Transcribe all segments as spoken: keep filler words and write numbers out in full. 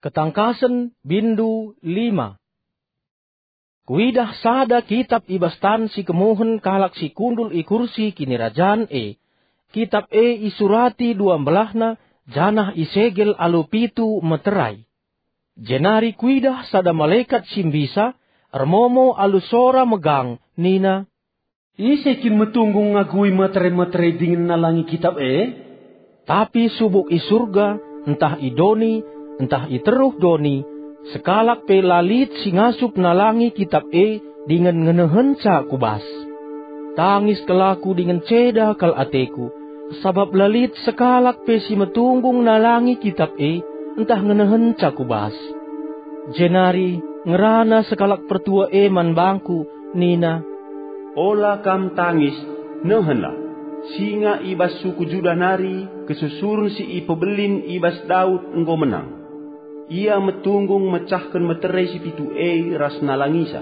Ketangkasen, bindu lima. Kuidah sada kitap i bas tan si kemuhen kalak si kundul i kursi kinirajan e. Kitap e isurati dua mbelahna, janah isegel alu pitu meterai. Jenari kuidah sada malekat si mbisa, ermomo alu sora megang, nina, "Ise kin metunggung ngagui meterai-meterai dingen nalangi kitap e?" Tapi subuk i Surga, ntah i doni, ntah i teruh doni, sekalak pe la lit si ngasup nalangi kitap e dingen ngenehenca ku bas. Tangis kal aku dingen ceda kal ateku, sabap la lit sekalak pe si metunggung nalangi kitap e, ntah ngenehenca ku bas. Jenari ngerana sekalak pertua e man bangku, nina, "Ola kam tangis, nehenlah! Singa i bas suku Judah nari, kesusuren si ipebelin i bas Daud enggo menang. Ia metunggung mecahken meterai si pitu e ras nalangisa."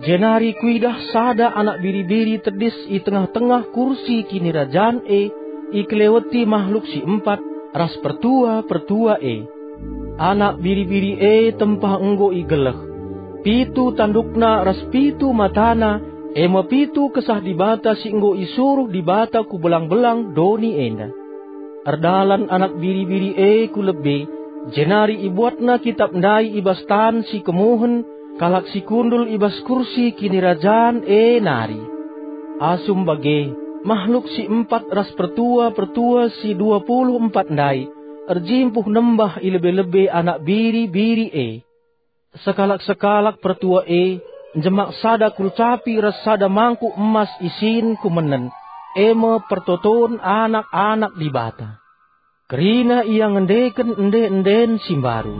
Jenari kuidah sada anak biri-biri tedis i tengah-tengah kursi kinirajan e, ikeleweti mahluk si empat ras pertua-pertua e. Anak biri-biri e tempah enggo igeleh. Pitu tandukna ras pitu matana, e me pitu Kesah Dibata si enggo isuruh Dibata ku belang-belang doni enda. Erdalan anak biri-biri e ku lebe, jenari ibuatna kitap ndai i bas tan si kemuhen kalak si kundul i bas kursi kinirajan e nari. Asum bage, mahluk si empat ras pertua-pertua si dua puluh empat ndai erjimpuh nembah i lebe-lebe anak biri-biri e. Sekalak-sekalak pertua e njemak sada kulcapi ras sada mangkuk emas isin ku menen, e me pertoton anak-anak Dibata. Kerina ia ngendeken ende-enden si mbaru,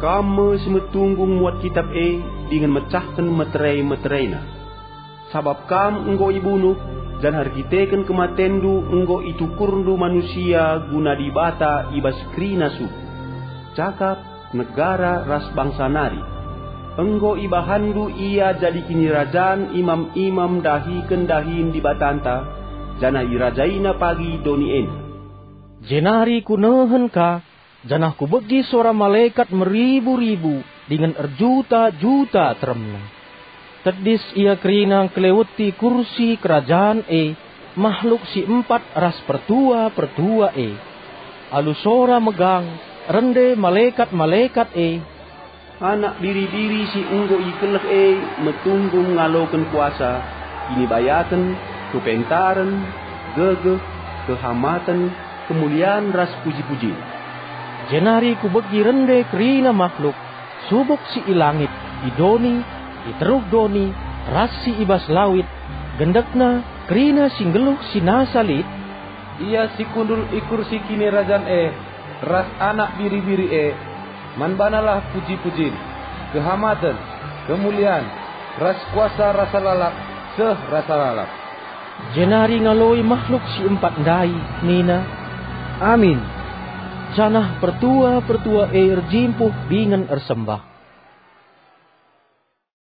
"Kam me si metunggung muat kitap e dingen mecahken meterai-meteraina. Sabap kam enggo ibunuh, janah erkiteken kematendu enggo itukurndu manusia guna Dibata i bas kerina suku, cakap, negara ras bangsa nari. Enggo ibahanndu ia jadi kinirajan imam-imam ndahiken dahin Dibatanta, janah irajaina pagi doni enda." Jenari kunehen ka, janah kubegi sora malekat meribu-ribu dingen erjuta-juta teremna. Tedis ia kerina ngkeleweti kursi kerajan e, mahluk si empat ras pertua-pertua e. Alu sora megang, rende malekat-malekat e, "Anak biri-biri si enggo ikeleh e metunggung ngaloken kuasa, kinibayaken, kepentaren, gegeh, kehamaten, kemulian ras puji-pujin." Jenari kubegi rende kerina mahluk, subuk si i langit, i doni, i teruh doni, ras si i bas lawit, gendekna kerina si nggeluh si nasa lit, "Ia si kundul i kursi kinirajan e ras Anak Biri-biri e, man banalah puji-pujin, kehamaten, kemulian, ras kuasa rasa lalap seh rasa lalap." Jenari ngaloi mahluk si empat ndai nina, "Amin." Janah pertua-pertua e erjimpuh dingen ersembah.